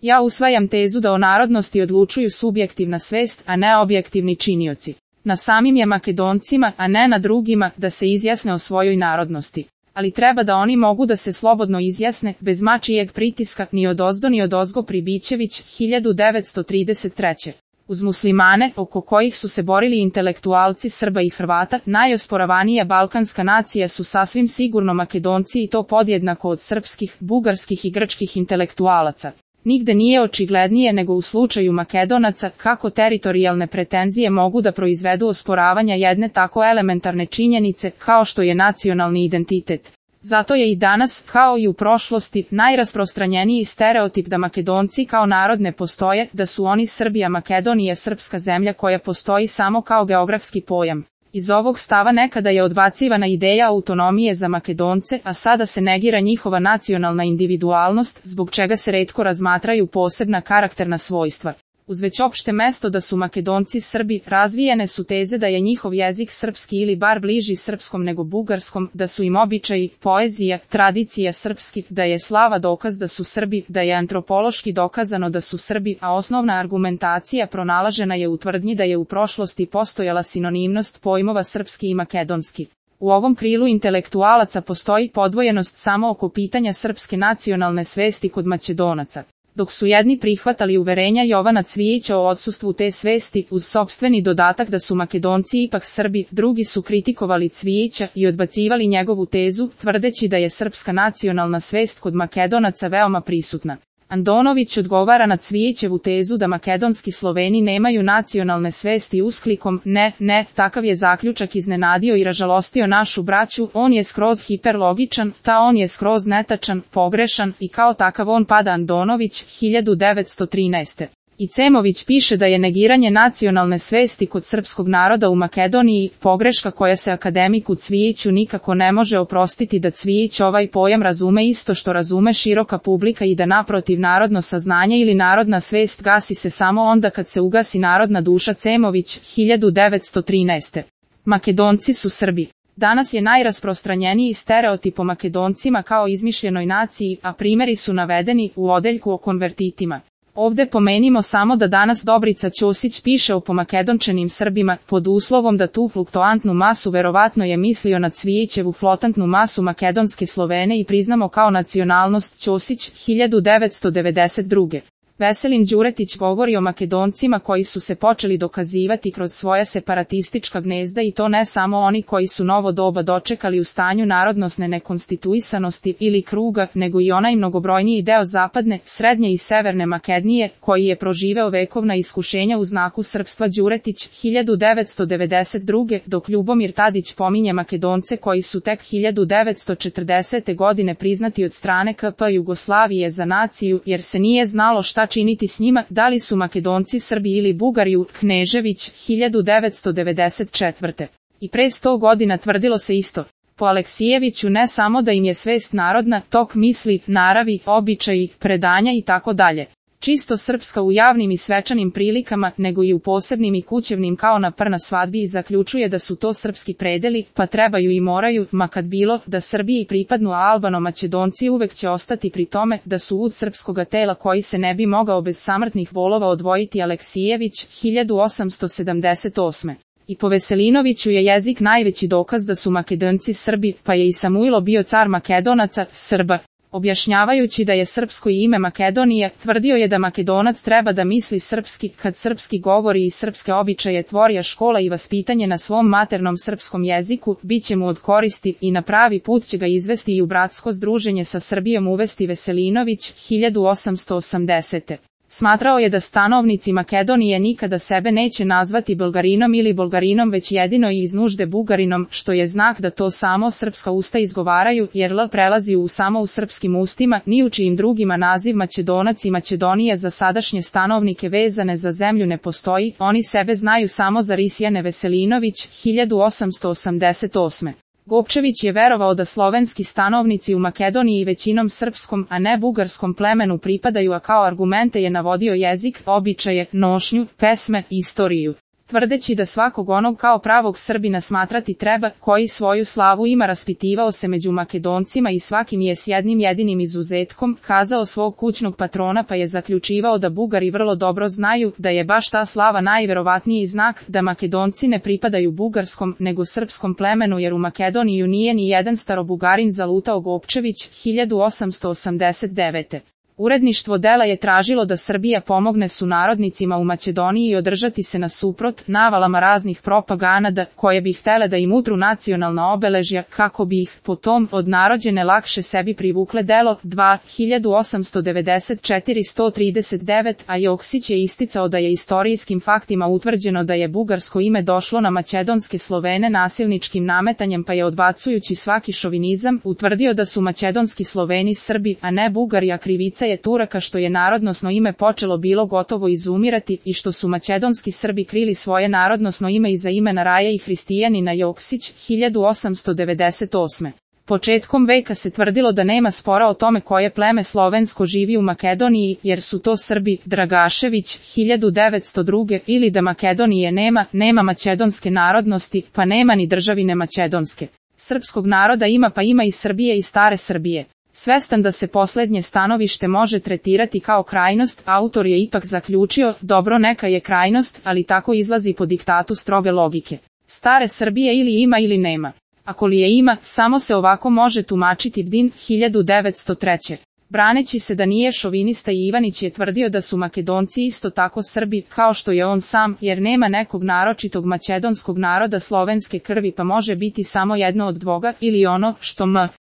Ja usvajam tezu da o narodnosti odlučuju subjektivna svest, a ne objektivni činioci. Na samim je Makedoncima, a ne na drugima, da se izjasne o svojoj narodnosti. Ali treba da oni mogu da se slobodno izjasne, bez mačijeg pritiska, ni odozdo ni odozgo. Pribićević, 1933. Uz muslimane, oko kojih su se borili intelektualci Srba i Hrvata, najosporavanija balkanska nacija su sasvim sigurno Makedonci i to podjednako od srpskih, bugarskih i grčkih intelektualaca. Nigde nije očiglednije nego u slučaju Makedonaca kako teritorijalne pretenzije mogu da proizvedu osporavanja jedne tako elementarne činjenice kao što je nacionalni identitet. Zato je i danas, kao i u prošlosti, najrasprostranjeniji stereotip da Makedonci kao narod ne postoje, da su oni Srbi, a Makedonija srpska zemlja koja postoji samo kao geografski pojam. Iz ovog stava nekada je odbacivana ideja autonomije za Makedonce, a sada se negira njihova nacionalna individualnost, zbog čega se retko razmatraju posebna karakterna svojstva. Uz već opšte mesto da su Makedonci Srbi, razvijene su teze da je njihov jezik srpski ili bar bliži srpskom nego bugarskom, da su im običaji, poezija, tradicija srpski, da je slava dokaz da su Srbi, da je antropološki dokazano da su Srbi, a osnovna argumentacija pronalažena je u tvrdnji da je u prošlosti postojala sinonimnost pojmova srpski i makedonski. U ovom krilu intelektualaca postoji podvojenost samo oko pitanja srpske nacionalne svesti kod Makedonaca. Dok su jedni prihvatali uverenja Jovana Cvijića o odsustvu te svesti uz sopstveni dodatak da su Makedonci ipak Srbi, drugi su kritikovali Cvijića i odbacivali njegovu tezu, tvrdeći da je srpska nacionalna svest kod Makedonaca veoma prisutna. Andonović odgovara na Cvijićevu tezu da makedonski Sloveni nemaju nacionalne svesti usklikom ne, takav je zaključak iznenadio i ražalostio našu braću, on je skroz hiperlogičan, on je skroz netačan, pogrešan i kao takav on pada. Andonović, 1913. I Cemović piše da je negiranje nacionalne svesti kod srpskog naroda u Makedoniji pogreška koja se akademiku Cvijiću nikako ne može oprostiti, da Cvijić ovaj pojam razume isto što razume široka publika i da naprotiv narodno saznanje ili narodna svest gasi se samo onda kad se ugasi narodna duša. Cemović, 1913. Makedonci su Srbi. Danas je najrasprostranjeniji stereotip o Makedoncima kao izmišljenoj naciji, a primjeri su navedeni u odeljku o konvertitima. Ovde pomenimo samo da danas Dobrica Ćosić piše o pomakedončenim Srbima, pod uslovom da tu fluktuantnu masu verovatno je mislio na Cvijićevu flotantnu masu makedonske Slovene i priznamo kao nacionalnost. Ćosić, 1992. Veselin Đuretić govori o Makedoncima koji su se počeli dokazivati kroz svoja separatistička gnezda i to ne samo oni koji su novo doba dočekali u stanju narodnosne nekonstituisanosti ili kruga, nego i onaj mnogobrojniji deo zapadne, srednje i severne Makedonije, koji je proživeo vekovna iskušenja u znaku srpstva. Đuretić, 1992. dok Ljubomir Tadić pominje Makedonce koji su tek 1940. godine priznati od strane KP Jugoslavije za naciju, jer se nije znalo šta činiti s njima, da li su Makedonci Srbi ili Bugari. Knežević, 1994. I pre 100 godina tvrdilo se isto. Po Aleksijeviću ne samo da im je svest narodna, tok misli, naravi, običaji, predanja i tako dalje. Čisto srpska u javnim i svečanim prilikama, nego i u posebnim i kućevnim kao na na svadbi, i zaključuje da su to srpski predeli, pa trebaju i moraju, ma kad bilo, da Srbiji pripadnu, a Albano-Makedonci uvek će ostati pri tome da su ud srpskoga tela koji se ne bi mogao bez samrtnih bolova odvojiti. Aleksijević, 1878. I po Veselinoviću je jezik najveći dokaz da su Makedonci Srbi, pa je i Samuilo bio car Makedonaca, Srba. Objašnjavajući da je srpsko ime Makedonija, tvrdio je da Makedonac treba da misli srpski, kad srpski govori i srpske običaje tvori, a škola i vaspitanje na svom maternom srpskom jeziku bit će mu od koristi i na pravi put će ga izvesti i u bratsko združenje sa Srbijom uvesti. Veselinović, 1880. Smatrao je da stanovnici Makedonije nikada sebe neće nazvati Bulgarinom ili Bolgarinom, već jedino i iz nužde Bugarinom, što je znak da to samo srpska usta izgovaraju, jer L prelazi u samo u srpskim ustima, ni u čijim drugima naziv Makedonac i Makedonija za sadašnje stanovnike vezane za zemlju ne postoji, oni sebe znaju samo za Risjane. Veselinović, 1888. Gopčević je verovao da slovenski stanovnici u Makedoniji većinom srpskom, a ne bugarskom plemenu pripadaju, a kao argumente je navodio jezik, običaje, nošnju, pesme, istoriju. tvrdeći da svakog onog kao pravog Srbina smatrati treba, koji svoju slavu ima, raspitivao se među Makedoncima i svakim je s jednim jedinim izuzetkom kazao svog kućnog patrona, pa je zaključivao da Bugari vrlo dobro znaju da je baš ta slava najverovatniji znak da Makedonci ne pripadaju bugarskom nego srpskom plemenu, jer u Makedoniju nije ni jedan starobugarin zalutao. Gopčević, 1889. Uredništvo dela je tražilo da Srbija pomogne sunarodnicima u Makedoniji i održati se nasuprot navalama raznih propaganda koje bi htele da im utru nacionalna obeležja kako bi ih potom od narodđene lakše sebi privukle. Delo 2, 1894-139, a Joksić je isticao da je istorijskim faktima utvrđeno da je bugarsko ime došlo na makedonske Slovene nasilničkim nametanjem, pa je odbacujući svaki šovinizam utvrdio da su makedonski Sloveni Srbi, a ne Bugari, a krivica je Turaka što je narodnosno ime počelo bilo gotovo izumirati i što su makedonski Srbi krili svoje narodnosno ime iza imena Raje i Hristijanina. Joksić, 1898. Početkom veka se tvrdilo da nema spora o tome koje pleme slovensko živi u Makedoniji, jer su to Srbi. Dragašević, 1902. Ili da Makedonije nema makedonske narodnosti, pa nema ni državine makedonske. Srpskog naroda ima, pa ima i Srbije i stare Srbije. Svestan da se poslednje stanovište može tretirati kao krajnost, autor je ipak zaključio, dobro, neka je krajnost, ali tako izlazi po diktatu stroge logike. Stare Srbije ili ima ili nema. Ako li je ima, samo se ovako može tumačiti. Bdin, 1903. Braneći se da nije šovinista, i Ivanić je tvrdio da su Makedonci isto tako Srbi, kao što je on sam, jer nema nekog naročitog makedonskog naroda slovenske krvi, pa može biti samo jedno od dvoga, ili ono što